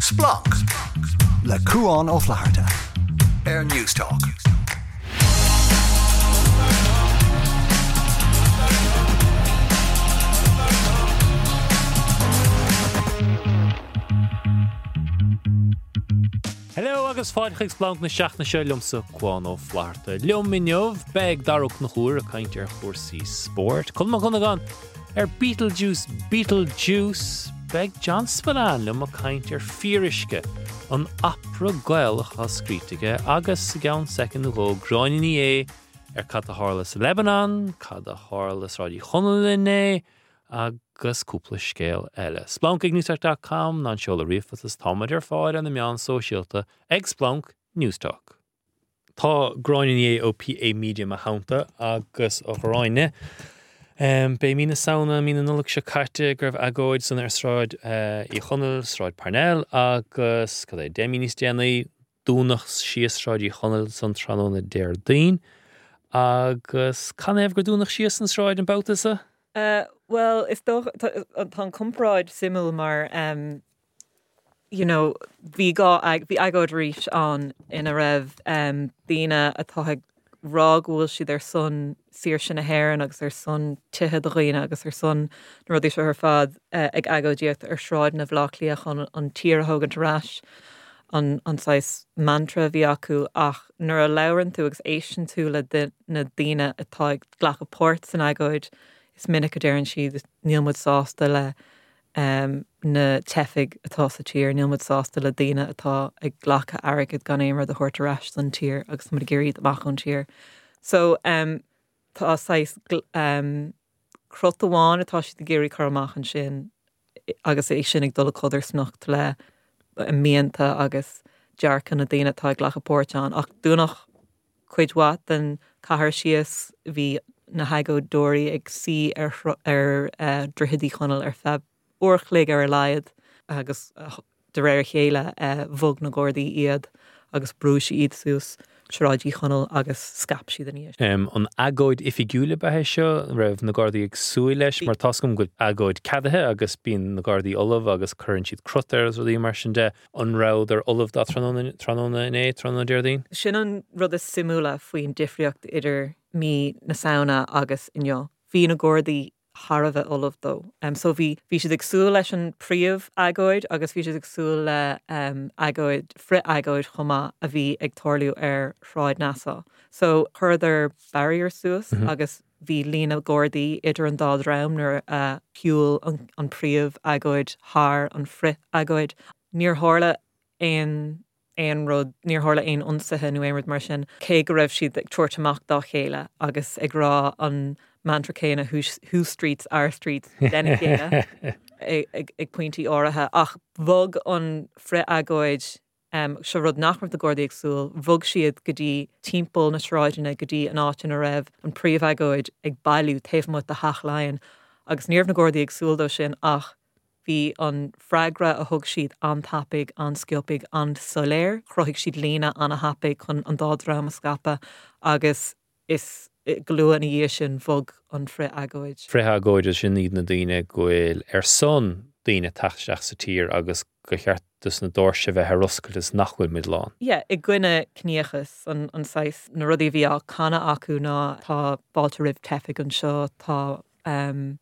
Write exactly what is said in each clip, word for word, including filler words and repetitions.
Splanc le Cuán Ó Flatharta ar Newstalk. Hello agus fáilte chuig Splanc na seachtaine seo liomsa Cuán Ó Flatharta. Liom inniu beidh Dara Ó Conchúir ag caint ar chúrsaí spóirt. Colm Mac Dhonnagáin ar Beetlejuice Beetlejuice. Beidh John Spillane liom ag caint ar Fíoruisce, an opera Gaelach atá scríte aige agus i gceann soicind nó dhó Gráinne Ní Aodha ar cad a tharla sa Lebanon, cad a tharla Sráid Uí Chonaill inné, agus cúpla scéal eile. Splanc ag newstalk dot com ná an seoladh ríomhphost is táimid ar fáil ar na meáin sóisialta ag Splanc Newstalk. Tá Gráinne Ní Aodha ó P A Media i mo theannta agus a Ghráinne. Um, b'é mí na Samhna, mí na Nollag seo caite go raibh agóid san ar Sráid, eh, Uí Chonaill, Sráid Parnell agus cad é, deich mí níos déanaí, dúnadh síos Sráid Uí Chonaill san tráthnóna Déardaoin. Agus canathaobh gur dúnadh síos an sráid an babhta seo? Uh, well, is dócha, tá, tá an comparáid suimiúil mar, um, you know, bhí gá ag, bhí agóid arís ann ina raibh, um, daoine atá ag rá go bhfuil siad ar son saoirse na hÉireann agus ar son tithe do dhaoine agus ar son na rudaí seo ar fad, eh, ag agóidíocht ar Shráid na Bhaile Átha Cliath chun an tír a thógaint ar ais, an, an saghas mantra a bhí acu, ach nuair a labhrann tú agus éisteann tú le di-, na daoine atá ag glacadh páirt san agóid, is minic a deireann siad níl muid sásta le, um, na teifigh atá sa tír, níl muid sásta le daoine atá ag glacadh airgead gan aon rud a thabhairt ar ais don tír agus muid ag iarraidh amach ón tír. So, um, tá saghas gl-, um, crot amháin atá siad ag iarraidh cur amach ansin agus é sin ag dul i codarsnacht le mianta agus dearcadh na daoine atá ag glacadh páirt ann. Ach dúnadh cuid mhaith den chathair síos, bhí na hagóideoirí ag suí ar thro-, ar, eh, Droichead Uí Chonaill ar feadh uair chloig ar a laghad agus, eh, de réir a chéile, eh, bhog na Gardaí iad agus brúigh siad iad suas Sráid Uí Chonaill agus scaip siad ina dhiaidh. Em, an agóid oifigiúil ab ea é seo, raibh na Gardaí ag súil leis, Bhí mar tá a fhios agam go bhfuil agóid ceadaithe agus bíonn na Gardaí ullamh agus cuireann siad crot air agus rudaí mar sin de. An rabhadar ullamh dá tráthnóna, tráthnóna inné, tráthnóna Déardaoin? Sin an rud is suimiúla faoin difríocht idir mí na Samhna agus inniu. Bhí na Gardaí thar a bheith ullamh dó. Um, so bhí, bhí siad ag súil leis an príomh agóid agus bhí siad ag súil le, um, agóid, frith-agóid chomh maith a bhí ag tarlú ar Shráid Nassau. So chuireadar barrier suas Mhm. agus bhí líne Gardaí idir an dá dhream nuair a shiúil an, an príomh agóid thar an frith-agóid. Níor tharla aon, aon rud, níor tharla aon ionsaithe nó aon rud mar sin, cé go raibh siad ag tabhairt amach dá chéile agus ag rá an mantra céanna, whose, whose streets, our streets, lena chéile ag, ag, ag pointí áirithe. Ach bhog an frith-agóid, um, seo rud nach raibh na Gardaí ag súil, bhog siad go dtí timpeall na sráideanna go dtí an áit ina raibh an príomh-agóid ag bailiú taobh amuigh de Theach Laighean. Agus ní raibh na Gardaí ag súil dó sin, ach bhí an freagra a thug siad an-tapaidh, an-sciobtha, an-soiléir. Chruthaigh siad líne an-thapaidh chun an dá dhream a scaipeadh agus is go luath ina dhiaidh sin bhog an frith-agóid. Frith-agóid sin iad na daoine go bhfuil ar son daoine teacht isteach sa tír agus go cheart dos na doirse bheith ar oscailt is nach bhfuil muid lán. Yeah, i gcoinne ciníochas an, an saghas na rudaí a bhí á canadh acu ná tá fáilte roimh teifigh anseo, tá, um,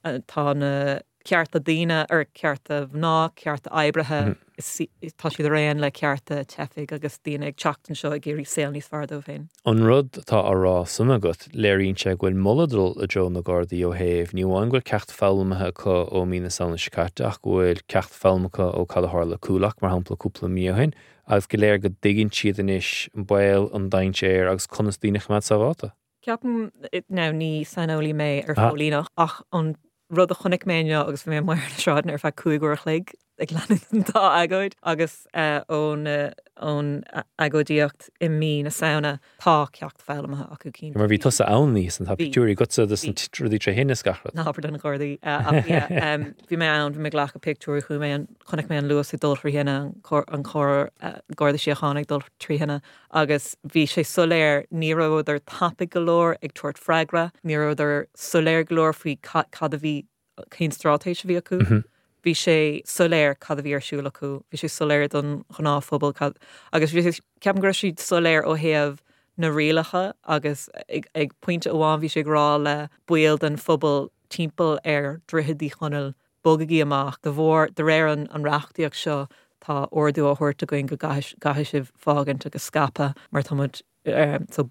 eh, tá na cearta daoine ar cearta mná, cearta oibrithe, Mhm. is, is, tá siad araon le cearta teifigh agus daoine ag teacht anseo ag iarraidh saol níos fearr dóibh féin. An rud atá á rá san agat, léiríonn sé go bhfuil moladh dul i dtreo na Gardaí ó thaobh, ní amháin go bhfuil ceacht foghlamtha acu ó mí na Samhna seo caite, ach go bhfuil ceacht foghlamtha acu ó cad a tharla Coolock, mar shampla cúpla mí ó shin, agus go léir go dtuigeann siad anois an baol, an dainséar agus conas daoine a choimeád sábháilte. Ceapaim, now, ní saineolaí mé ar Ah. phóilíneacht, ach an rud a chonaic mé inniu agus bhí mé amuigh ar na sráideanna ar feadh cúig uair a chloig ag leanúint an dá agóid agus, eh, ón, eh, ón agóidíocht i mí na Samhna tá ceacht foghlamtha acu cinnte. Mar bhí tusa ann níos an tá Bhí. pictiúirí agatsa dos Bhí. na rudaí tré thine is gach rud. Ná habair do na Gardaí, eh, ach yeah, em, bhí mé ann, bhí mé ag glacadh pictiúirí, chuaigh mé an, chonaic mé an Luas ag dul trí thine, an cor-, an cor, eh, Garda Síochána ag dul trí thine, agus bhí sé soiléir, ní rabhadar tapaidh go leor ag tabhairt freagra, ní rabhadar soiléir go leor faoi ca-, cad a bhí, cén straitéis a bhí acu. Mhm. Bhí sé soiléir cad a bhí ar siúl acu, bhí sé soiléir don ghnáthphobal cad agus bhí sé ceapaim go raibh siad soiléir ó thaobh na rialacha agus ag, ag pointe amháin bhí sé ag rá le baill den phobal timpeall ar Droichead Uí Chonaill bogaigí amach de bharr de réir an, an reachtaíocht seo tá ordú á thabhairt againn go gcaithfidh sibh fágaint agus scaipeadh mar tá muid um, so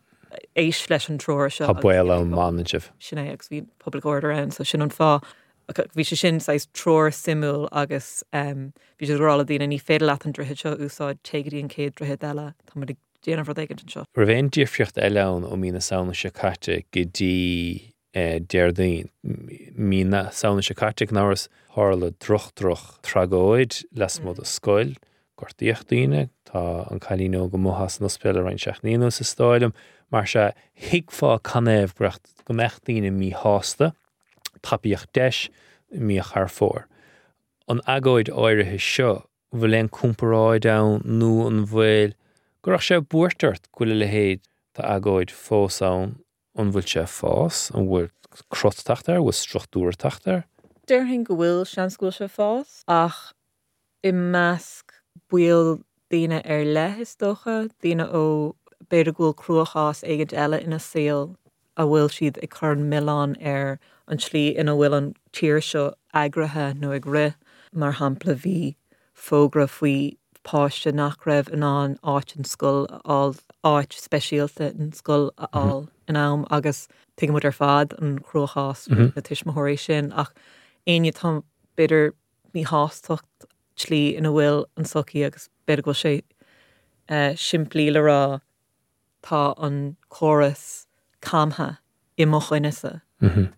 éist leis an treoir seo. Tá baol ann má fhanann sibh. Sin é agus bhí public order ann, so sin an fáth bhí sé sin saghas treoir suimiúil agus um, bhí sé ag rá le daoine ní féidir leat an droichead seo a úsáid téigh go dtí an chéad droichead eile tá muid ag déanamh rud éigin anseo. Raibh aon difríocht eile ann ó mí na Samhna seo caite go dtí eh, Déardaoin. Mí na Samhna seo caite gan amhras tharla droch droch tragóid lasmuigh de scoil, gortaíodh daoine, tá an cailín óg amuigh as an ospidéal le roinnt seachtainí anuas is dóigh liom, mar sea thuigfeá canathaobh go mbeadh daoine míshásta, tapaíodh deis imeacht thar fóir. An agóid áirithe seo bhfuil aon comparáid ann nó an bhfuil go raibh sé buairt ort go bhfuil a leithéid d'agóid fós ann an bhfuil sé fás, an bhfuil crot ag teacht air, bhfuil struchtúr ag teacht air? Déarfainn go bhfuil seans go bhfuil sé fás ach i measc baill daoine ar leith is dócha, daoine ó b'fhéidir go bhfuil cruachás éigin eile ina saol a bhfuil siad ag cur an milleán ar an tslí ina bhfuil an tír seo eagraithe nó ag rith. Mar shampla bhí fógra faoi páiste nach raibh in ann áit in scoil a fháil áit speisialta in scoil a fháil in am agus tuigimid ar fad an cruachás na tuismitheoirí sin ach éinne tá b'fhéidir míshástacht tslí ina bhfuil an sochaí agus b'fhéidir go bhfuil sé uh, simplí le rá tá an córas camtha i mo choinnese. Mm -hmm.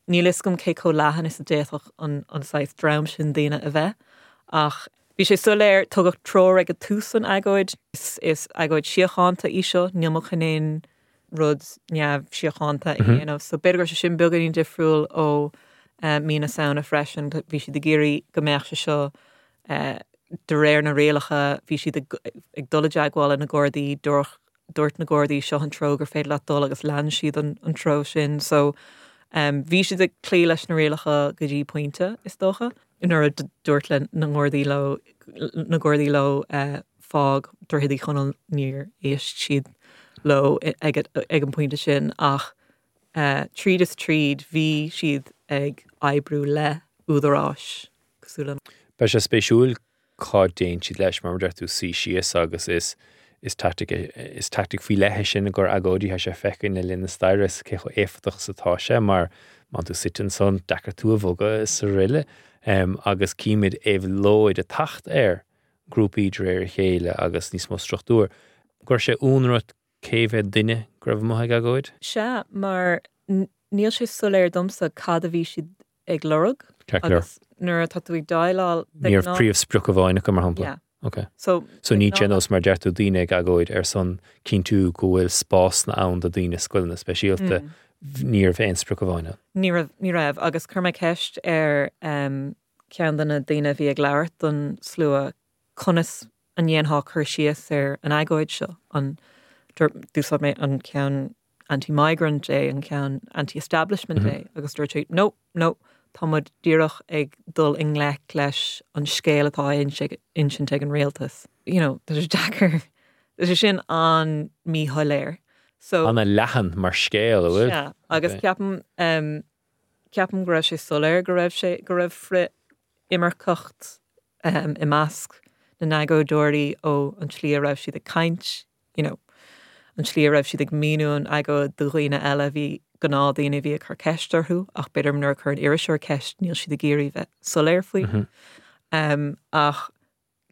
Níl fhios agam cé chomh leathan is a d'fhéadfadh an, an saghas dream sin daoine a bheith ach bhí sé soiléir tugadh treoir ag tús an agóid is, is agóid síochánta í seo níl muid chun aon rud neamh-síochánta a dhéanamh so b'fhéidir go raibh sé sin beagáinín difriúil ó uh, mí na Samhna freisin bhí siad ag iarraidh go mbeadh sé seo uh, de réir na rialacha bhí siad ag, ag dul i dteagmháil na Gardaí dúirt dúirt na Gardaí seo an treo gur féidir leat dul agus lean siad an, an treo sin so um, bhí siad ag cloí leis na rialacha go dtí pointe is dócha nuair a dúirt le na Gardaí leo na Gardaí leo uh, fág Droichead Uí Chonaill níor éist siad leo ag, ag an pointe sin ach uh, tríd is tríd bhí siad ag oibriú le údaráis cosúil. Beidh sé spéisiúil cá dtéann siad leis mar deir tú suí síos agus is is tactic is tactic faoi leith sin gur agóidí tá sé feicthe le linn na staire is cé chomh éifeachtach is atá sé mar má tú suite ansan deacair tú a bhogadh is araile um, agus címid éabhlóid ag teacht ar grúpaí de réir a chéile agus níos mó struchtúr. Gur sé únrut cé mhéad duine go raibh amuigh ag agóid? Sea mar níl sé soiléir domsa cad a bhí siad ag lorg agus nuair atá tú ag déileáil Ní raibh príomhsprioc amháin acu mar shampla. Yeah. Okay. So, So ní nós mar deir tú daoine ag agóid ar son cinntiú go bhfuil spásanna ann do daoine scoileanna speisialta mm. ní raibh aon sprioc amháin. Ní raibh ní raibh agus chuir mé ceist ar um, ceann de na daoine a bhí ag labhairt don slua conas an ndéanfá cur síos ar an agóid seo an dúsáid mé an ceann anti-migrant é an ceann anti-establishment é agus dúirt sé no no tá muid díreach ag dul i ngleic leis an scéal atá insint ag an rialtas. You know, tá sé deacair Tá sé sin an míshoiléir. So An-leathan mar scéal bhfuil? Yeah, agus ceapaim um, ceapaim go raibh sé soiléir go raibh sé go raibh frith-imirceacht um, i measc na n-agóideoirí ó an tslí a raibh siad ag caint, you know, an tslí a raibh siad ag míniú an agóid do dhaoine eile bhí gnáthdaoine bhí ag cur ceist orthu ach b'fhéidir nuair a chuir an iriseoir ceist níl siad ag iarraidh bheith soiléir faoi. Mm -hmm. um, ach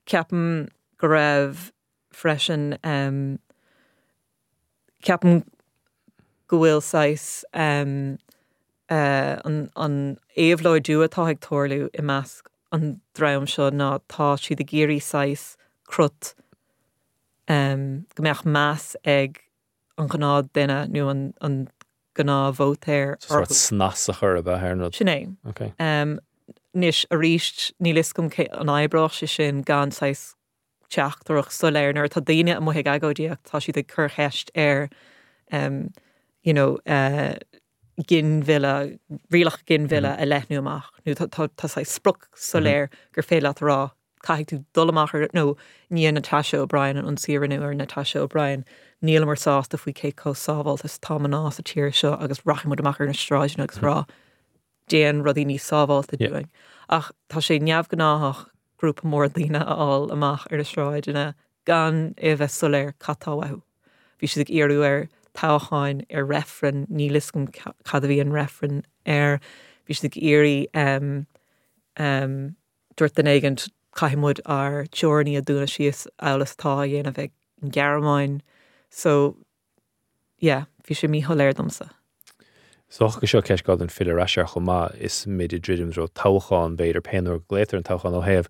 ceapaim go raibh freisin um, ceapaim go bhfuil saghas um, uh, an, an éabhlóidiú atá ag tarlú i measc an dream seo ná tá siad ag iarraidh saghas crot um, go mbeadh meas ag an gnáthdhuine nó an, an gnáthvótair Sort snas a chur ab ar nó. Sin é. Okay. Um, Anois arís níl fhios agam cé an oibreodh sé sin gan saghas teachtaireacht soiléir nuair atá daoine amuigh ag agóidíocht tá siad ag cur ceist ar um, you know, uh, ginmhilleadh, rialacha ginmhilleadh a leathnú amach, nó tá tá tá saghas sprioc soiléir gur féidir leat a rá caithfidh tú dul amach ar nó i ndiaidh Natasha O'Brien an ionsaí a rinneadh ar Natasha O'Brien, nílamar sásta faoi cé chomh sábháilte is atá mná sa tír seo agus rachaidh muid amach ar na sráideanna agus rá déan rudaí níos sábháilte dúinn. Ach tá sé neamhghnáthach grúpa mór daoine a fháil amach ar na sráideanna gan é a bheith soiléir cad tá uathu. Bhí siad ag iarraidh ar toghcháin ar reifreann, níl a fhios agam cad a bhí an reifreann air, bhí siad ag iarraidh um, um, dúirt duine éigin caithfidh muid ár dteorainní a dúnadh síos amhail is atá á dhéanamh ag an Ghearmáin. So yeah, bhí sé míshoiléir domsa. Is dócha go seo ceist gá don filleadh ar ais air chomh maith is muid ag druidim i dtreo toghchán b'fhéidir pé uair go glaotar an toghchán ó thaobh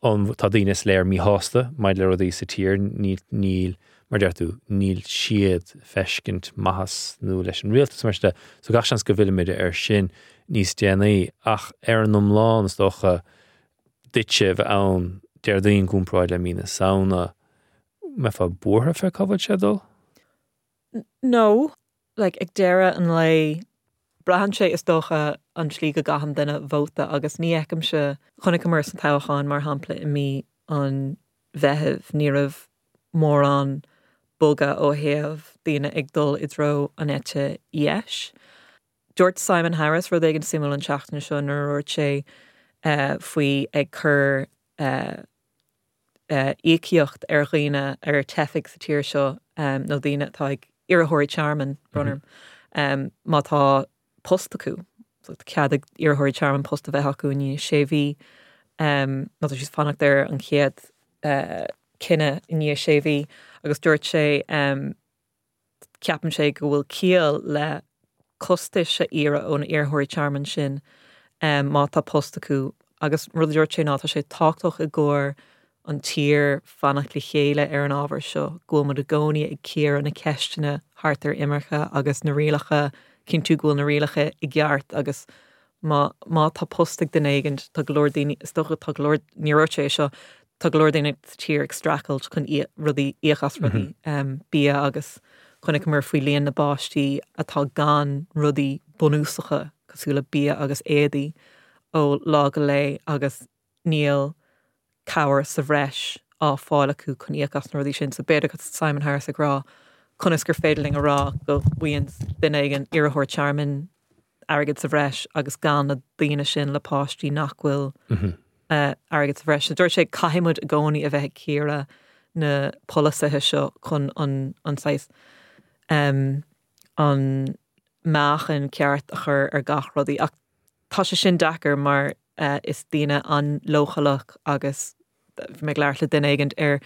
an tá daoine is léir míshásta maidir le rudaí sa tír níl níl mar deir tú níl siad feiscint maitheas nó leis an rialtas mar sin de so gach seans go bhfillfimid air sin níos déanaí ach ar an iomlán is dócha duitse bheith ann Déardaoin i gcomparáid le mí na Samhna mbeifeá buartha fé cá bhfuil sé ag dul? No, like ag deireadh an lae braitheann sé is dócha an tslí go gcaitheann duine vóta agus ní fheicimse chonaiceamar sa toghchán mar shampla i mí an Mheithimh ní raibh mórán bogadh ó thaobh daoine ag dul i dtreo an eite dheis. Dúirt Simon Harris rud éigin suimiúil an tseachtain seo nuair a dúirt sé uh, faoi ag cur uh, uh, íocaíocht ar dhaoine ar teifigh sa tír seo um, nó daoine atá ag iarrthóirí tearmainn brón orm um, má tá post acu so cead ag iarrthóirí tearmainn post a bheith acu i ndiaidh sé mhí um, nó tá siad fanacht ar an chéad uh, cinneadh i ndiaidh sé mhí agus dúirt sé um, ceapann sé go bhfuil ciall le costais a iarraidh ón iarrthóirí tearmainn sin um, má tá post acu agus rud a dúirt sé ná tá sé tábhachtach i gcomhair an tír fanacht le chéile ar an ábhar seo, go bhfuil muid i gcónaí ag cíoradh na ceisteanna thart ar imirce agus na rialacha cinntiú go bhfuil na rialacha i gceart agus má má tá post ag duine éigin tá go leor daoine is dócha tá go leor ní dúirt sé seo tá go leor daoine sa tír ag streachailt chun rudaí íoc as rudaí um, bia agus chonaiceamar faoi líon na bpáistí atá gan rudaí bunúsacha cosúil le bia agus éadaí ó lá go lá agus níl cabhair sa bhreis á fáil acu chun íoc as na rudaí sin, so b'fhéidir go Simon Harris ag rá conas gur féidir linn a rá go bhfaigheann duine éigin iarrthóir tearmainn airgead sa bhreis agus gan na daoine sin le páistí nach bhfuil uh, airgead sa bhreis. So dúirt sé caithfimid i gcónaí a bheith ag cíoradh na polasaithe seo chun an an saghas um, an meáchan ceart a chur ar gach rudaí ach tá sé sin deacair mar uh, is daoine an-leochaileach agus bhí mé ag labhairt le duine éigin ar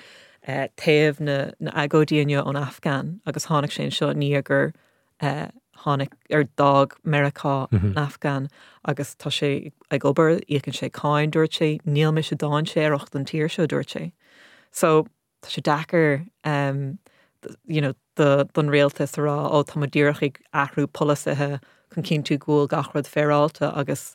uh, taobh na na agóidí inniu ón Afghan agus tháinig sé seo ní gur uh, tháinig ar d'fhág Meiriceá an Afghan agus tá sé ag obair íocann sé cáin dúirt sé níl mise dainséarach don tír seo dúirt sé. So tá sé deacair um, you know, do, don rialtas a rá ó tá díreach ag athrú polasaithe chun cinntiú go bhfuil gach rud féaráilte agus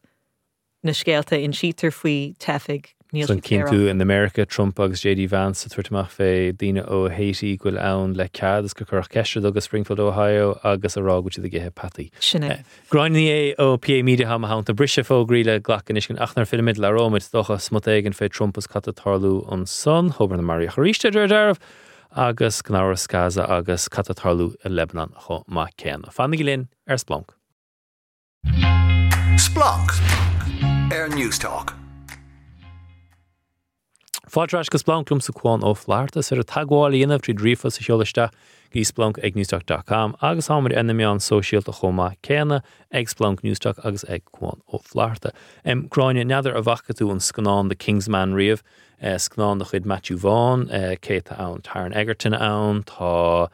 na scéalta insítear faoi teifigh níl San siad cinntiú in America Trump agus J D Vance a tabhairt amach fé daoine ó Haiti go bhfuil ann le cead is gur cuireadh ceist agus Springfield, Ohio agus a rá go bhfuil siad ag ithe peataí. Sin é. Gráinne Ní Aodha ó P A Media tá mo theannta briseadh fógraí le glacadh anois ach nuair a fhillfimid labhróimid dócha smut éigin fé Trump is cad atá ag tarlú ansan thobar na maraíodh arís ar dearbh agus gnáras Gaza agus cad atá ag tarlú i Lebanon chomh maith céanna. Fanaigí linn ar Splanc. Splanc ar Newstalk. Fáilte ar ais go Splanc liomsa Cuán Ó Flatharta ar a teagmháil a dhéanamh tríd ríomhphost a sheoladh isteach go splanc ag newstalk dot com agus táimid ar na meáin sóisialta chomh maith céanna ag Splanc Newstalk agus ag Cuán Ó Flatharta. Em, Gráinne, n'fheadar an bhfaca tú an scannán The Kingsman riamh, eh, scannán de chuid Matthew Vaughn, eh, cé tá ann Taron Egerton ann, tá,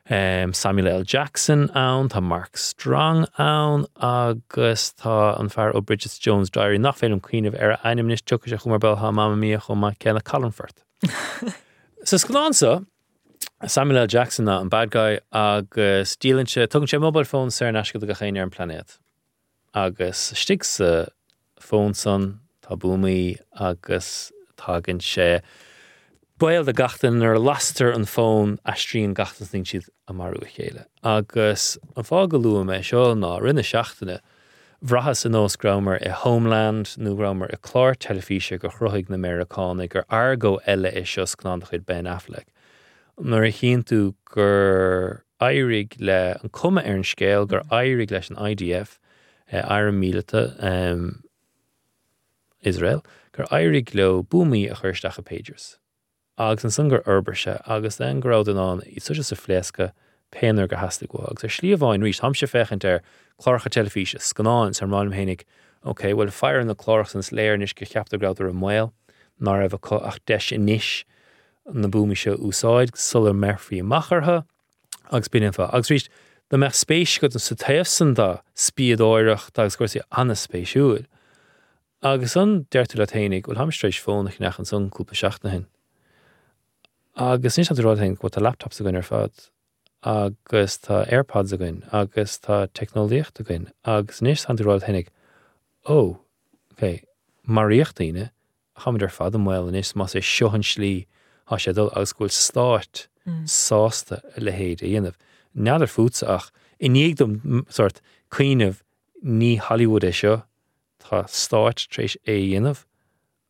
em, Samuel L. Jackson ann, tá Mark Strong ann agus tá an fear ó Bridget Jones Diary nach féidir liom cuimhneamh ar a ainm anois, tiocfaidh sé chugam ar ball, tá Mamma Mia chomh maith céanna, Colin Firth. Sa scannán seo, Samuel L. Jackson ná an bad guy agus díolann sé, tugann sé mobile phone saor in aisce do gach éinne ar an bpláinéad. Agus istigh sa phone san tá buamaí agus tagann sé Baol do gach duine nuair a lastar an fón aistríonn gach duine is níonn siad ag marú a chéile. Agus an fáth go luaim é seo ná rith na seachtaine bhraitheas ar nós go rabhamar i Homeland nó go rabhamar i clár teilifíse gur chruthaigh na Meiriceánaigh gur Argo eile é seo scannán de chuid Ben Affleck. Nuair a chíonn tú gur éirigh le an cuma ar an scéal gur éirigh leis an IDF eh, arm míleata um, Israel, gur éirigh leo buamaí a chur isteach i pagers. Agus ansan gur fhorbair sé agus then go raibh in ann iad suas a phléascadh pé uair gur theastaigh uathu. Agus ar shlí amháin arís táimse ag féachaint ar cláracha teilifíse scannáin is ag rá liom fhéinig, Ok, well faire na cláracha san is léir anois gur cheapadar go rabhadar i mbaol, ná raibh acu ach deis anois na buamaí seo a úsáid sula mbeifí amach orthu agus b'in an fáth. Agus arís dá mbeadh spéis agat sa taobh san de spiadóireacht agus cúrsaí an-spéisiúil. Agus an deir tú leat fhéinig, bhuel táim tar éis fón a cheannach ansan cúpla seachtain ó shin. Agus anois tá tú ag rá leat fhéinig bhuel tá laptops againn ar fad agus tá AirPods againn agus tá teicneolaíocht againn agus anois tá tú ag rá leat fhéinig ó ok, maraíodh daoine táimid ar fad i mbaol anois más é seo an slí tá sé dul agus go bhfuil stáit sásta a leithéid a dhéanamh. N'fheadar fútsa ach i ndiaidh dom sort cuimhneamh ní Hollywood é seo tá stáit tar éis é a dhéanamh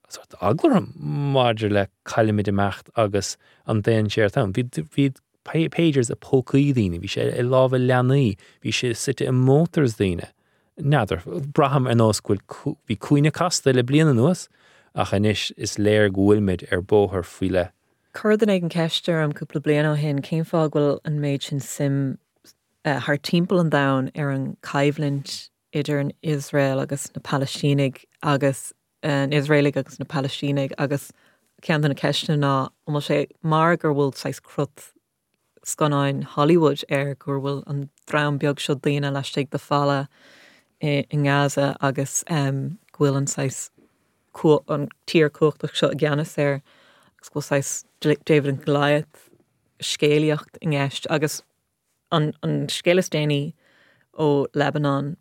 sort eagla orm maidir le caillimid imeacht agus an dainséar atá ann. Bhí bhí pagers i pócaí daoine, bhí sé i lámha leanaí, bhí sé suite i motors daoine. N'fheadar, braithim ar nós go bhfuil bhí cúinne casta le bliain anuas ach anois is léir go bhfuilmid ar bóthar faoi leith. Chuir duine éigin ceist orm cúpla bliain ó shin cén fáth go bhfuil an méid sin suim uh, thar timpeall an domhain ar an coimhlint idir an Iosrael agus na Palaistínigh agus an Iosraelaigh agus na Palaistínigh agus ceann de na ceisteanna ná an bhfuil sé mar gur bhfuil saghas crut scannáin Hollywood air gur bhfuil an dream beag seo daoine laistigh de falla i, i nGaza agus um, go bhfuil an saghas an tír cumhachtach seo i gceannas air agus go bhfuil saghas David and Goliath scéalaíocht i gceist agus an, an scéal is déanaí ó Lebanon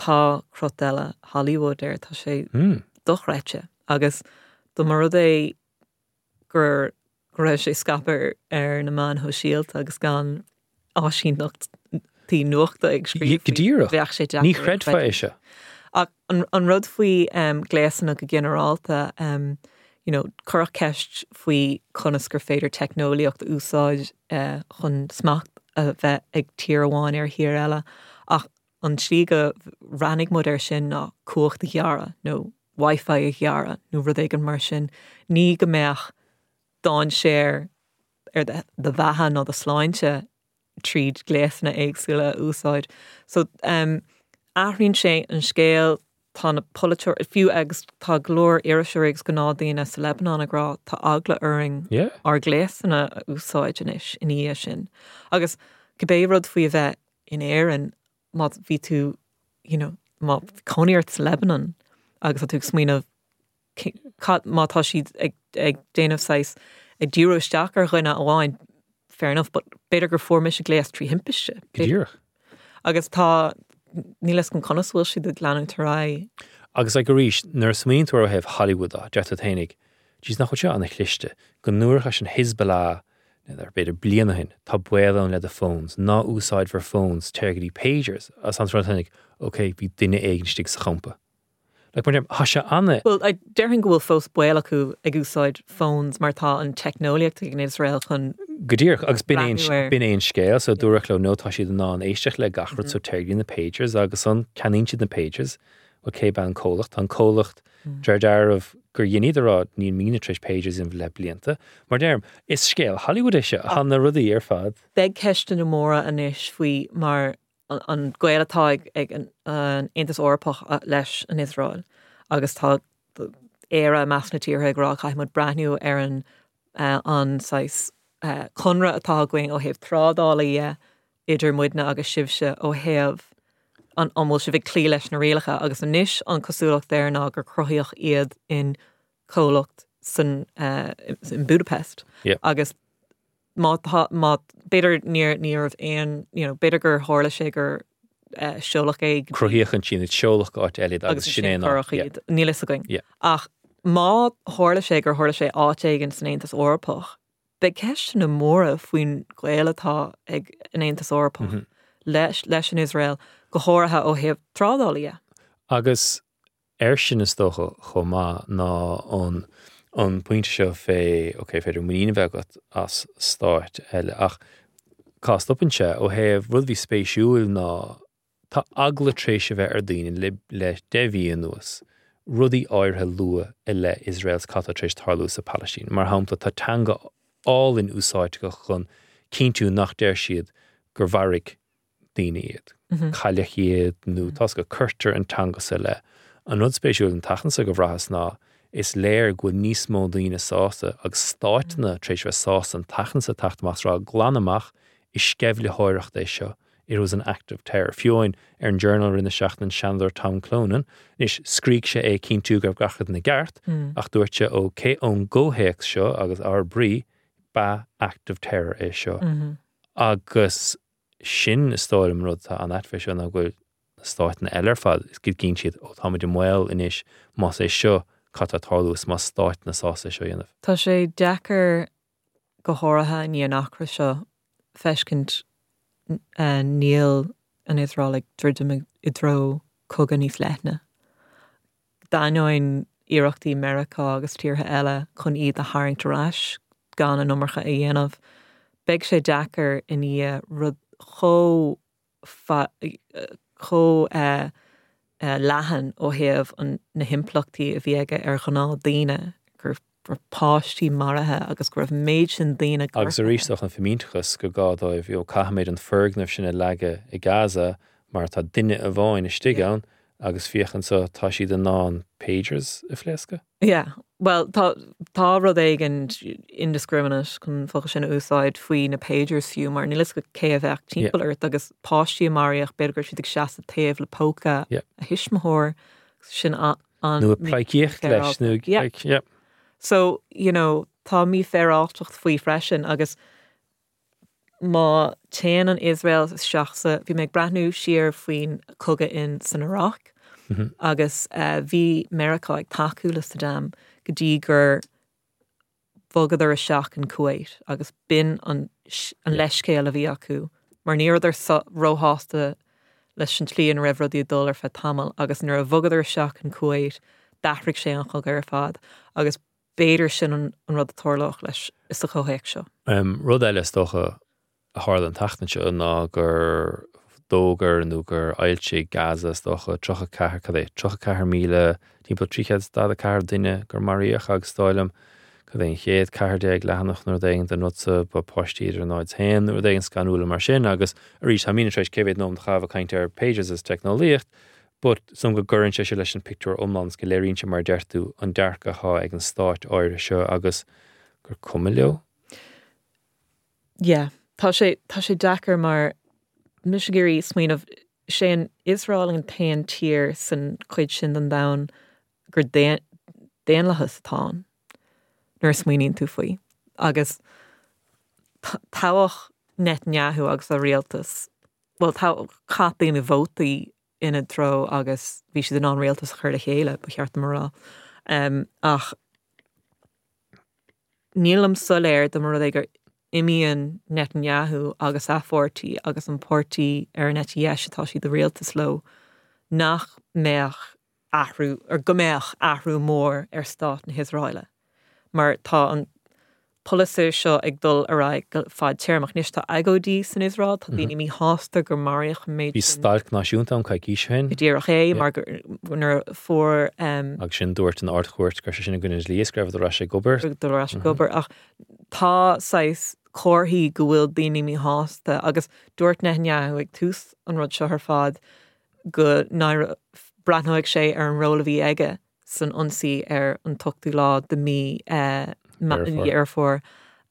tá crut eile Hollywood air tá sé Mm. dochreidte agus dá mba rud é gur go raibh sé scaipthe ar na meáin shóisialta agus gan áisíneachtaí nuachta ag scríobh Go díreach. bheadh sé Ní chreidfeá é seo. Ach an, an rud faoi um, gléasanna go ginearálta um, you know, cuireadh ceist faoi conas gur féidir teicneolaíocht a úsáid uh, chun smacht a bheith ag tír amháin ar thír eile ach an tslí go rannig muid air sin ná cumhacht a ghearradh nó Wi-Fi a ghearradh nó rud éigin mar sin ní go mbeadh dainséar ar do do bheatha nó do shláinte tríd gléasanna éagsúla a úsáid. So um, athraíonn sé an scéal tá na polaiteoirí fiú agus tá go leor iriseoirí agus gnáthdaoine sa Lebanon ag rá tá eagla orainn Yeah. ár gléasanna a úsáid anois ina dhiaidh sin. Agus cibé rud faoi a bheith in Éirinn má bhí tú you know, má cónaí ort sa Lebanon agus tá tú ag smaoineamh cad má tá siad ag, ag déanamh saghas ag díriú isteach ar dhuine amháin fair enough, but b'fhéidir gur fuair mise gléas trí thimpiste. Go díreach. Agus tá níl a fhios agam conas bhfuil siad ag leanúint ar aghaidh. Agus like arís nuair a smaoiníonn tú ó thaobh Hollywood á deir tú fhéinig, Jeez nach bhfuil seo an-chliste go ndúirt an Hezbollah ar b'fhéidir bliain ó shin tá baol ann le do phones, ná úsáid bhur phones téir go dtí pagers as an rud ok bhí duine éigin istigh sa champa. Like, mar tá sé an- Well, I déarfainn go bhfuil fós baol acu ag úsáid phones mar tá an teicneolaíocht ag an Israel chun Go díreach agus b'in Breathnú air. b'in é an scéal so dúradh leo nó tá siad in ann éisteacht le gach rud so téir go dtí na pagers agus an ceannaíonn siad na pagers ó cé an comhlacht an comhlacht deir dearbh gur dhéanaí rá níl mína tar éis pagers in le blianta mar deirim is scéal Hollywood é seo tá na rudaí ar fad. Beidh ceisteanna móra anois faoi mar an, an gaol atá ag, ag an, an Aontas Eorpach uh, leis an Israel agus tá Éire i measc na tíortha ag rá caithfidh muid breathnú ar an uh, an saghas uh, conradh atá againn ó thaobh trádála dhe idir muidne agus sibhse ó thaobh an an bhfuil sibh ag cloí leis na rialacha agus anois an cosúlacht air ná gur cruthaíodh iad in comhlacht san uh, in Budapest Yeah. agus má tá má b'fhéidir níor ní raibh aon you know, b'fhéidir gur tharla sé gur uh, seoladh é Cruthaíodh an sin seoladh áit eile agus agus sin é sin ná- cuireadh yeah. iad níl a fhios againn. Yeah. Ach Má tharla sé gur tharla sé áit éigin san Aontas Eorpach, beidh ceisteanna móra faoin ghaol atá ag an Aontas Eorpach mm -hmm. leis, leis an Iosrael go háirithe ó thaobh trádála. Agus ar sin is dócha chomh maith ná an an pointe seo fé ok féidir muinín a bheith agat as stáit eile ach cá stopann sé ó thaobh rud bhí spéisiúil ná tá eagla tar éis a bheith ar daoine le le deich mhí anuas rudaí áirithe lua i leith Iosrael cad tá tar éis tarlú sa Palaistín. Mar shampla tá teanga álainn úsáidte chun cinntiú nach deir siad gur mharaigh daoine iad. Mm -hmm. Cailleadh iad nó tá go cuirtear an teanga sa le. An rud spéisiúil an tseachtain seo go bhraitheas ná is léir go bhfuil níos mó daoine sásta agus stáiteanna tar éis bheith sásta an tseachtain seo teacht amach rá glan amach is sceimhlitheoireacht é seo. It was an act of terror. Fiú amháin ar an Journal rinne seachtain an Seanadóir Tom Clonan, is scrígh sé é cinntiú go raibh gach rud ina gceart, mm. ach dúirt sé ó cé ón gcomhthéacs seo agus ár brí ba act of terror é seo. Mm -hmm. Agus sin is dóigh liom rud tá an atfé seo ná go bhfuil na stáiteanna eile ar fad is go gcinn siad ó táimid i mbaol anois más é seo cad tá tarlú is más stáiteanna sásta seo dhéanamh. Tá sé deacair go háirithe i ndiaidh an eachtra seo feiscint uh, níl an Iosrael ag druidim i dtreo cogadh níos leithne. D'ainneoin iarrachtaí Meiriceá agus tíortha eile chun iad a tharraingt ar ais gan an iomarca a dhéanamh. Beidh sé deacair i ndiaidh rud chomh chomh uh, uh, leathan ó thaobh an na himpleachtaí a bhí aige ar ghnáthdaoine gur raibh páistí maraithe agus go raibh méid sin daoine Agus arís an fimínteachas go gá dóibh ó caithfimid an foirgneamh sin a leagadh i Gaza mar tá duine amháin istigh ann agus féach anseo tá siad in ann pagers a phléascadh? Yeah, well tá tá rud éigin indiscriminate chun focal sin a úsáid faoi na pagers fiú mar níl a fhios agat cé a bheadh timpeall ort agus páistí maraíodh b'fhéidir go raibh siad ag seasamh taobh le póca Yeah. a thuismitheoir sin an Nó pleicíocht leis nó Yeah. like, yeah. So, you know, tá mífhéaráilteacht faoi freisin agus má téann an Iosrael isteach sa bhí mé ag breathnú siar faoin cogadh in san Iraq Mm -hmm. agus uh, bhí Meiriceá ag tacú le Saddam go dtí gur bhogadar isteach in Kuwait agus b'in an, an leithscéal a bhí acu mar ní rabhadar róshásta leis an tslí ina raibh rudaí ag dul ar feadh tamall agus nuair a bhogadar isteach in Kuwait d'athraigh sé an cogadh ar fad agus b'fhéidir sin an, an rud a tharlódh leis is sa chomhthéacs seo. Um, rud eile is dócha a tharla an tseachtain seo ná gur d'fhógair nó gur fhoilsigh Gaza is dócha tríocha ceathair cad é tríocha ceathair míle timpeall trí chéad daichead ceathair duine gur maraíodh agus dóigh liom cad é an chéad ceathair déag leathanach nó rud éigin den rud sa ba páistí idir náid haon nó rud éigin scanrúil mar sin agus arís tá mína éis cé mhéad nóiméad a chaitheamh ag caint ar pagers is teicneolaíocht, but som go gcuireann sé sé leis an pictiúr iomlán go léiríonn sé mar deir tú an dearcadh atá ag an stáit áirithe seo agus gur cuma leo. Yeah, tá sé tá sé deacair mar mise ag iarraidh smaoineamh sé an Iosrael an t-aon tír san chuid sin den domhan gur daonlathas atá ann nuair a smaoiníonn tú faoi. Agus toghadh Netanyahu agus a rialtas, well chaith daoine vótaí ina dtreo agus bhí siad in ann rialtas a chur le chéile ba cheart dom a rá. Um, ach nílim soiléir de mar rud é gur imíonn Netanyahu agus a pháirtí agus an páirtí ar an eite dheis atá siad i rialtas leo nach mbeadh athrú ar go mbeadh athrú mór ar stát na hIosraeile. Mar tá an polasaí seo ag dul ar aghaidh go fadtéarmach anois tá agóidí san Iosrael, tá daoine míshásta gur maraíodh méid Bhí stailc náisiúnta an coicís ó shin. Go díreach é mar nuair a fuair um, agus sin dúirt an Ardchúirt gur sé sin i gcoinne an dlí is go raibh ar ais ag obair. dul ar ais ag obair ach tá saghas comharthaí go bhfuil daoine míshásta agus dúirt Netanyahu ag tús an rud seo ar fad go breathnóidh sé ar an ról a bhí aige san ionsaí ar an t-ochtú lá de mí Deireadh Fómhair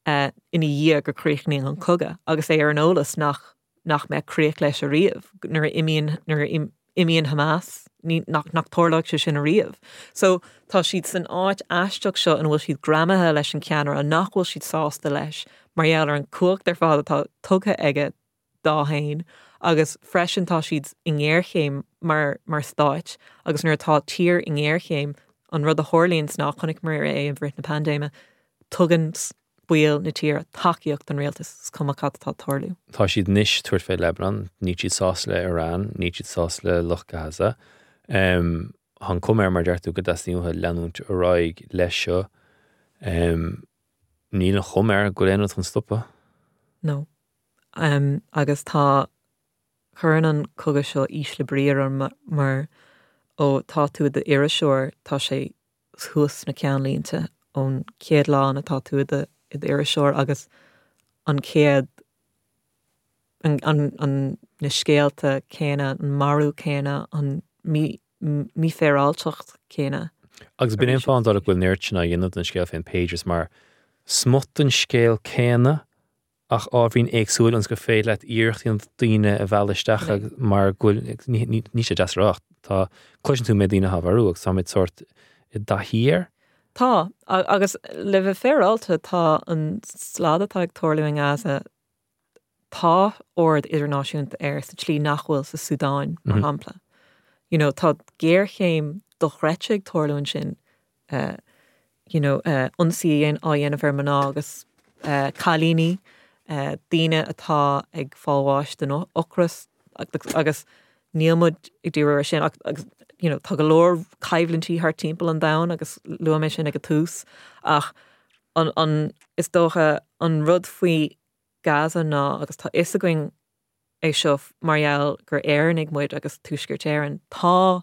ina dhiaidh gur críochnaíonn an cogadh agus é ar an eolas nach nach mbeidh críoch leis ariamh nuair a imíonn nuair a imíonn Hamas ní nach nach tarlóidh sé sin ariamh. So tá siad san áit aisteach seo ina bhfuil siad greamaithe leis an ceannaire nach bhfuil siad sásta leis mar gheall ar an cumhacht ar fad atá tugtha aige dó féin agus freisin tá siad i ngéarchéim mar mar stáit agus nuair atá tír i ngéarchéim an rud a tharlaíonn ná chonaiceamar é i rith na paindéime tugann baill na tíre tacaíocht don rialtas is cuma cad atá ag tarlú. Tá siad anois ag tabhairt fé Lebanon, níl siad sásta le Iran, níl siad sásta le lucht Gaza. Um, Tá an chuma air mar deir tú go dteastaíonn uathu leanúint ar aghaidh leis seo. Um, níl an chuma air go bhfuil aon rud chun stopadh. No. Um, agus tá cuireann an cogadh seo ísle brí orm mar ó tá tú i d'iriseoir tá sé thuas sna ceannlínte ón chéad lá atá tú i d'iriseoir agus an chéad an, an, an, na scéalta céanna, an marú céanna, an mí, mífhéaráilteacht céanna. Agus b'in an fáth go bhfuil an oiread sin á dhéanamh den scéal féin Pagers mar smut den scéal céanna ach ábhairín éagsúil ionas gur féidir leat iarracht daoine a mhealladh isteach mar go bhfuil ní sé deas rá tá cloiseann tú mé daoine á mharú agus táimid sórt i dtaithí air. Tá agus le bheith féaráilte tá an slad atá ag tarlú in Gaza tá aird idirnáisiúnta air sa tslí nach bhfuil sa Súdáin mar mhm. shampla. You know, tá géarchéim dochreidte ag tarlú ansin uh, you know, uh, ionsaí á dhéanamh ar mná agus uh, cailíní, uh, daoine atá ag fáil bháis den ocras agus níl muid ag díriú air sin agus you know, tá go leor coimhlintí thar timpeall an domhain agus luaigh mé sin ag an tús ach an, an is dócha an rud faoi Gaza ná agus tá fhios againn é seo mar gheall gur Éireannaigh muid agus Tuaisceart Éireann tá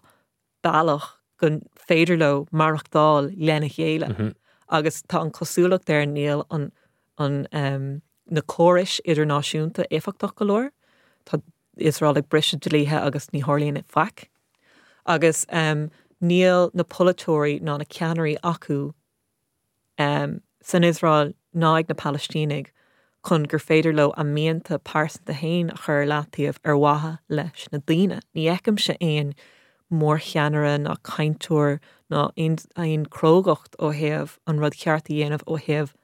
bealach go féidir leo maireachtáil lena chéile mm -hmm. agus tá an cosúlacht air níl an, an um, na córais idirnáisiúnta éifeachtach go leor Tá Iosrael ag briseadh dlíthe agus ní tharlaíonn faic. Agus um, níl na polaiteoirí ná na ceannairí acu um, san Iosrael ná ag na Palaistínigh chun gur féidir leo a mianta pearsanta féin a chur leataobh ar mhaithe leis na daoine. Ní fheicimse aon mórcheannaire ná cainteoir ná aon chrógacht ó thaobh an rud ceart a dhéanamh ó thaobh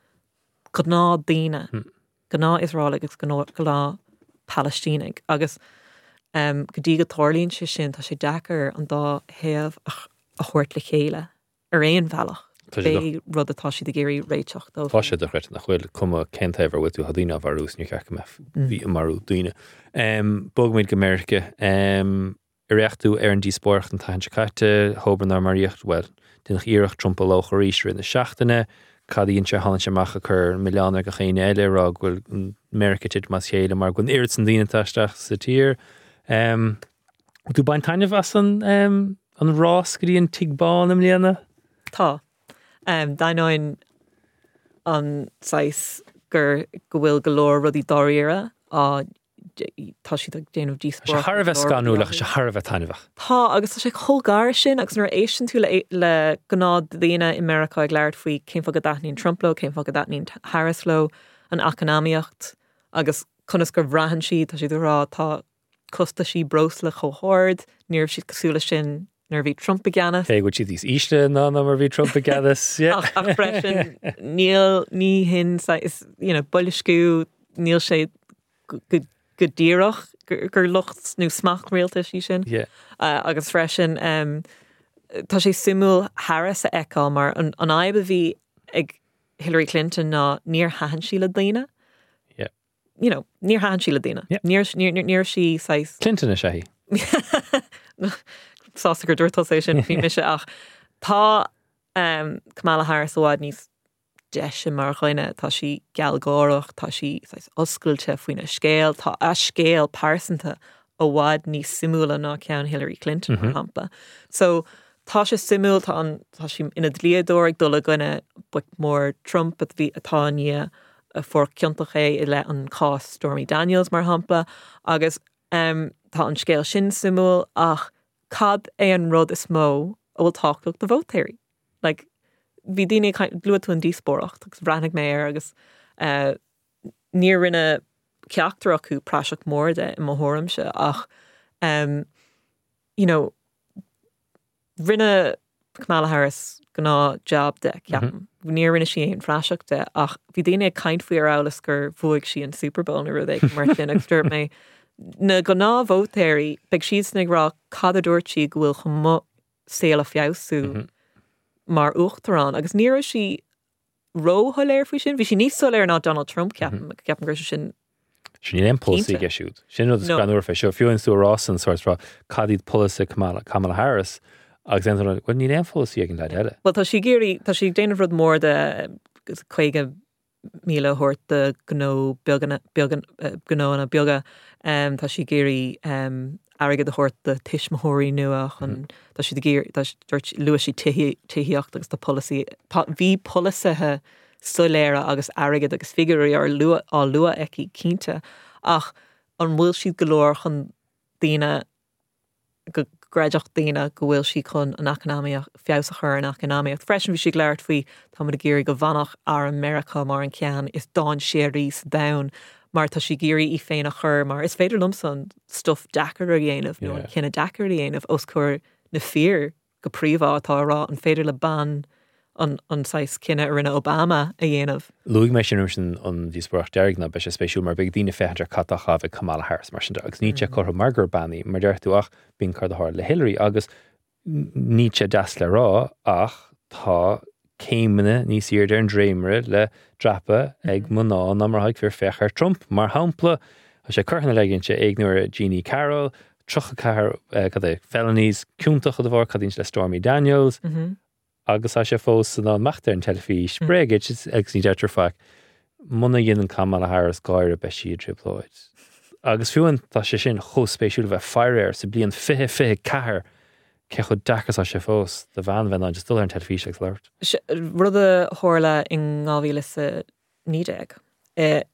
gnáthdhaoine. Hmm. Gnáth-Iosraelaigh agus gnáth-Phalaistínigh agus um, go dtí go dtarlaíonn sé sin tá sé deacair an dá thaobh a thabhairt le chéile ar aon bhealach. Pé rud atá siad ag iarraidh réiteach dó. Tá sé dochreidte nach bhfuil cuma cén taobh ar bhfuil tú tá daoine á mharú níor cheart go mbeifí ag marú daoine. Um, Bogfaimid go Meiriceá um, ar fhéach tú ar an díospóireacht an tseachtain seo caite, thobar nár maraíodh well, déanadh iarracht Trump a lóchadh arís i rith na seachtaine, cad a dhein sé tháinig sé amach ag cur milleán ar gach éinne eile rá go bhfuil Meiriceá ag titim as a chéile mar go bhfuil an oiread sin daoine isteach sa tír. Um, tú bain taitneamh as an, um, an rás go dtí an Tigh Bán i mbliana? Tá. Um, D'ainneoin an saghas gur go bhfuil go leor rudaí dáiríre á tá siad ag déanamh díospóireacht. Thar a bheith scanrúil ach sé thar a bheith taitneamhach. Tá agus tá sé chomh gar sin agus nuair a éisteann tú le, le gnáthdhaoine i Meiriceá ag labhairt faoi cén fáth go dtaitníonn Trump leo, cén fáth go dtaitníonn Harris leo, an eacnamaíocht agus conas gur bhraitheann siad tá siad ag rá tá costaisí breosla chomh hard, ní raibh siad cosúil leis sin nuair a bhí Trump i gceannas. Cé go bhfuil siad níos ísle ná ná mar bhí Trump i gceannas. Ach, ach freisin níl ní hin is you know, boilsciú níl sé go, go, go díreach gur, gur locht nó smacht rialtais í sin. Yeah. Uh, agus freisin um, tá sé suimiúil Harris a fheiceáil mar an, an fhadhb a bhí ag Hillary Clinton ná níor thaitin sí le daoine. Yeah. You know, níor thaitin sí le daoine. Yeah. Níor, níor, níor, níor sí saghas Clinton is ea í. Sásta gur dúirt é sin bhí mise ach tá um, Kamala Harris i bhfad níos deise mar dhuine tá sí gealgháireach, tá sí saghas oscailte faoina scéal, tá a scéal pearsanta i bhfad níos suimiúla ná ceann Hillary Clinton mar shampla. So tá sé suimiúil tá an tá sí ina dlíodóir ag dul i gcoinne boic mór Trump a bhí atá ní a fuair ciontach é i leith an cás Stormy Daniels mar shampla agus um, tá an scéal sin suimiúil ach cad é an rud is mó a bhfuil tábhachtach do vótóirí. Like, bhí daoine luaigh tú an díospóireacht agus bhreathnaigh mé air agus uh, níor rinne ceachtar acu praiseach mór de i mo thuairimse ach um, you know, rinne Kamala Harris gnáth job de ceapaim. Níor rinne sí aon phraiseach de ach bhí daoine ag caint faoi ar amhlas gur bhuaigh sí an Super Bowl nó rud éigin mar sin agus dúirt mé na gnáthvótóirí beidh siad ag rá cad a dúirt sí go bhfuil chun mo saol a feabhsú. mar uachtarán agus ní raibh sí róshoiléir faoi sin, bhí sí níos soiléir ná Donald Trump ceapaim ceapaim go raibh sé sin Sin níl aon polasaí Cinnte. aige siúd. Sin rud is No. greannmhar fé seo fiú tú rá an sort rá cad iad polasaithe Kamala, Kamala Harris agus then well níl aon pholasaí ag an leaid eile. Well tá sí ag iarraidh tá sí ag déanamh rud mór de caoga míle a thabhairt do gnó beagana beagan gnóanna beaga um, tá sí ag iarraidh um, airgead a thabhairt do tuismitheoirí nua chun tá sí ag iarraidh tá dúirt luaigh sí tithíocht agus tá polasaí tá bhí polasaithe soiléire agus airgead agus figiúirí ar lua á lua aici cinnte ach an bhfuil siad go leor chun daoine go gcreidfeadh daoine go bhfuil sí chun an eacnamaíocht feabhas a chur an eacnamaíocht. Freisin bhí sí ag labhairt faoi tá ag iarraidh go bhfanfadh arm Meiriceá mar an ceann is dainséaraí sa domhan mar tá sí ag iarraidh í féin a chur mar is féidir liomsa an stuff deacair a dhéanamh nó an Yeah. cinneadh deacair a dhéanamh os comhair na fir go príomha atá rá an féidir le bean an an saghas cinneadh a rinne Obama a dhéanamh. Luaigh mé sin sin an díospóireacht deiridh ná beidh sé spéisiúil mar beidh daoine féachaint ar cad a chaith Kamala Harris mar sin de agus ní sé curtha mar gur bean í mar deir tú ach bíonn cur a le Hillary agus ní sé deas le rá ach tá céimeanna níos airde ar an dréimire le dreapadh ag mná ná mar ag fir féach ar Trump mar shampla Tá sé curtha na leigin sé éignuair Jeannie Carroll, tríocha ceathair cad é felonies ciontach de bharr cad le Stormy Daniels Mm -hmm. agus tá sé fós san amach ar an teilifís bréige agus ní deirtear faic muna dhéanann Kamala Harris gáire beidh sí i dtrioblóid. Agus fiú an tá sé sin chomh spéisiúil bheith faire air sa bliain fiche fiche ceathair cé chomh deacair tá sé fós do bhean bheith just dul ar an teilifís agus labhairt. Rud a tharla in dhá mhíle a naoi déag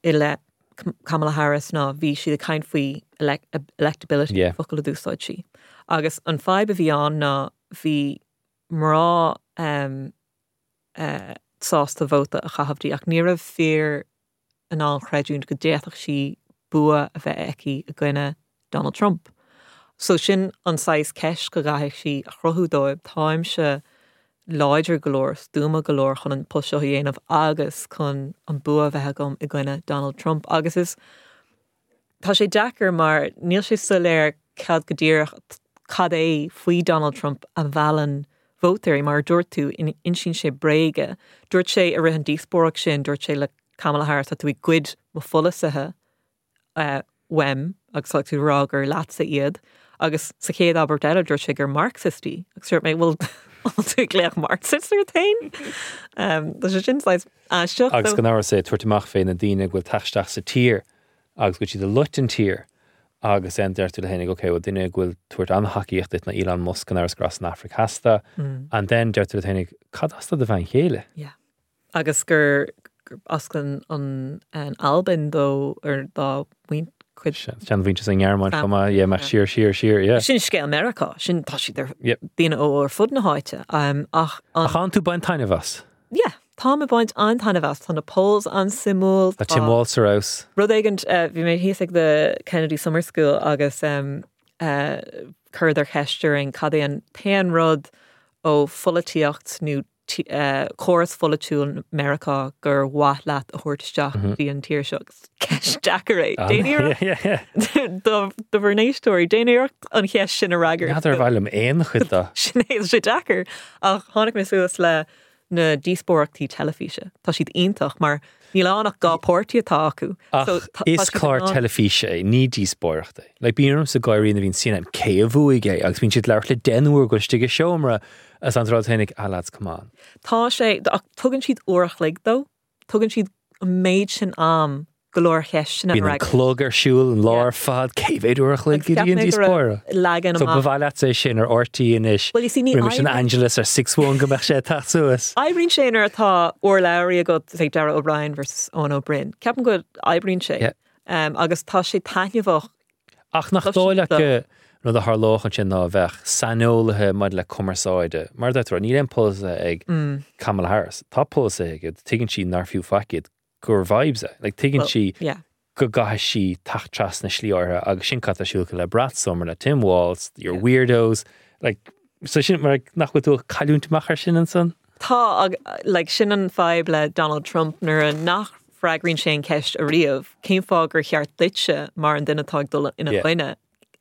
i le Kamala Harris ná bhí siad ag caint faoi electability Yeah. focal a d'úsáid sí. Agus an fadhb a bhí ann ná bhí mná um, uh, sásta vóta a chaitheamh di ach ní raibh fir in ann creidiúint go d'fhéadfadh sí bua a bheith aici i gcoinne Donald Trump. So sin an saghas ceist go gcaithfidh sí a chruthú dóibh táimse láidir go leor stuama go leor chun an post seo a dhéanamh agus chun an bua bheith agam i gcoinne Donald Trump agus is Tá sé deacair mar níl sé soiléir cad go díreach cad é faoi Donald Trump a mheallann vótóirí mar dúirt tú insíonn sé bréaga. Dúirt sé i rith an díospóireacht sin dúirt sé le Kamala Harris tá tú ag goid mo pholasaithe uh, uaim agus tá tú rá gur leatsa iad agus sa chéad abairt eile dúirt sé gur Marxist í agus dúirt mé bhfuil tú ag glaoch Marxist ort féin um, Tá sé sin aisteach Agus gan amhras é tabhairt amach fé na daoine go bhfuil teacht sa tír agus go siad a loit an tír agus en deir tú le hénig okay, duine go bhfuil tabhairt an-tacaíocht duit na Elon Musk an aras gras an Afraic Theas Mm. and then deir tú le hénig cad as do bhean chéile. Yeah. Agus gur gur as an an an Albain dó ar dá muin chuid Sean bhíte an Ghearmáin Fam- chuma é meach siar siar siar yeah. Sin scéal Meiriceá sin tá siad ar Yep. daoine ó ar fud na háite um, ach an, Ach an tú bain taitneamh as yeah, tá ag baint an-taitneamh as tá na polls an-suimiúil Tá Tim Walz ar fheabhas. Rud éigin uh, bhí mé thíos ag the Kennedy Summer School agus um, uh, cuireadh ceist orainn cad é an t-aon rud ó pholaitíocht nó tí- uh, córas pholaitiúil Meiriceá gur mhaith leat a thabhairt isteach dtí an tír seo ceist deacair é. Déan iarracht Yeah, yeah. do do bhur n-éisteoirí déan iarracht an cheist sin a fhreagairt. N'fheadar ar mhaith liom aon chuid de. Sin é sé deacair ach tháinig mé suas le na díospóireachtaí teilifíse. Tá siad iontach mar níl ann ach dhá pháirtí atá acu. Ach So, tá- tá is siad clár in ann- teilifíse é ní díospóireacht é. Like bíonn sa gáirí na bhíonn CNN cé a bhuaigh é agus bíonn siad labhairt le deich n-uair go istigh i seomra as an rud féinig ah lads come on. Tá sé ach tugann siad uair a chloig dó, tugann siad an méid sin am go leor cheisteanna Bíonn an clog ar siúl an lá ar fad cé mhéad uair a chloig go dtí an díospóireacht. Legan So ba amach. mhaith leat é sin ar RTÉ anois. Well, you see, ní Roimis an oibríonn- Angelus ar six one go mbeadh sé teacht suas. Oibríonn sé nuair atá urlabhraí agat say Darragh O'Brien versus Eoin Ó Broin. Ceapaim go oibríonn sé. Yeah. Um, agus tá sé taitneamhach Ach nach Tá dóigh sin leat go rud a tharlódh ansin ná bheadh saineolaithe maidir le cumarsáide. Mar deir níl aon polasaí ag Mm. Kamala Harris. Tá polasaí aige, tuigeann sí nár fiú faic iad gur vibes é. Like, tuigeann Well, sí yeah. go gcaithfidh sí teacht trasna slí áirithe agus sin cad tá siúlcha le Brat Sommer le Tim Walz, your Yeah. weirdos. Like, so sin mar nach bhfuil tú ag cailliúint amach ar sin ansan? Tá ag- like, sin an fadhb le Donald Trump nuair a nach bhfreagraíonn sé an ceist ariamh, cén fáth gur cheart duitse mar an duine atá ag dul ina Yeah. choinne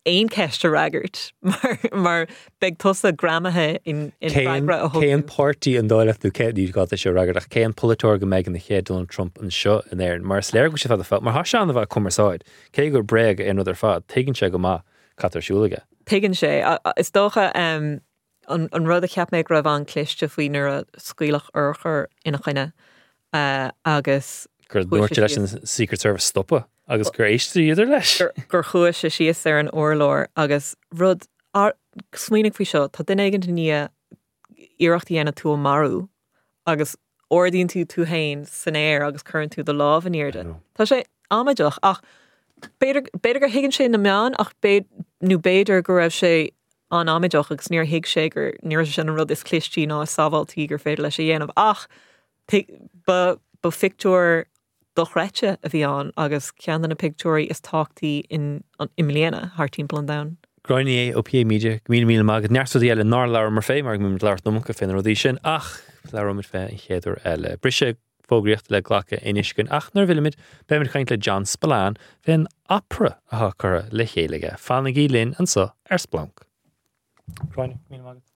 aon cheist a fhreagairt mar mar beidh tusa greamaithe in in freagra a Cén thug. páirtí an dóigh leat nó cé ní gá sé fhreagairt ach cén polaiteoir go mbeidh an chéad Donald Trump anseo in Éirinn mar is léir go bhfuil sé fada fá mar tá sé an-mhaith ag cumarsáid cé gur bréag é an rud ar fad tuigeann sé go maith cad tá ar siúl aige. Tuigeann sé a- a- is dócha um, an, an rud a cheap mé go raibh an-chliste faoi nuair a scaoileadh urchar ina choinne uh, agus gur Chuaigh dúirt sé leis an Secret Service stopadh agus gur éisteadar leis. gur, gur chuaigh sé síos ar an urlár agus rud ar, smaoinigh faoi seo tá duine éigin i ndiaidh iarracht a dhéanamh tú a mharú agus ardaíonn tú tú féin san aer agus cuireann tú do lámh in airde. Tá sé amaideach ach b'fhéidir b'fhéidir gur thuigeann sé na meáin ach b'fhéidir nó b'fhéidir go raibh sé an amaideach agus níor thuig sé gur ní raibh sé sin an rud is clistí ná is sábháiltí gur féidir leis a dhéanamh ach ba ba phictiúr dochreidte a bhí ann agus ceann de na pictiúirí is tábhachtaí in an i mbliana thar timpeall an domhain. Gráinne ó PA Media go míle míle maith agat neart rudaí eile nár labhair fé mar go labhairt nócha fé na rudaí sin ach labhróimid fé an chéad uair eile. Briseadh fógraíochta le glacadh anois ach nuair a bhfillfimid beimid ag caint le John Spillane fén opera atá curtha le chéile aige. Fanaigí linn anseo ar Splanc. Gráinne míle maith agat.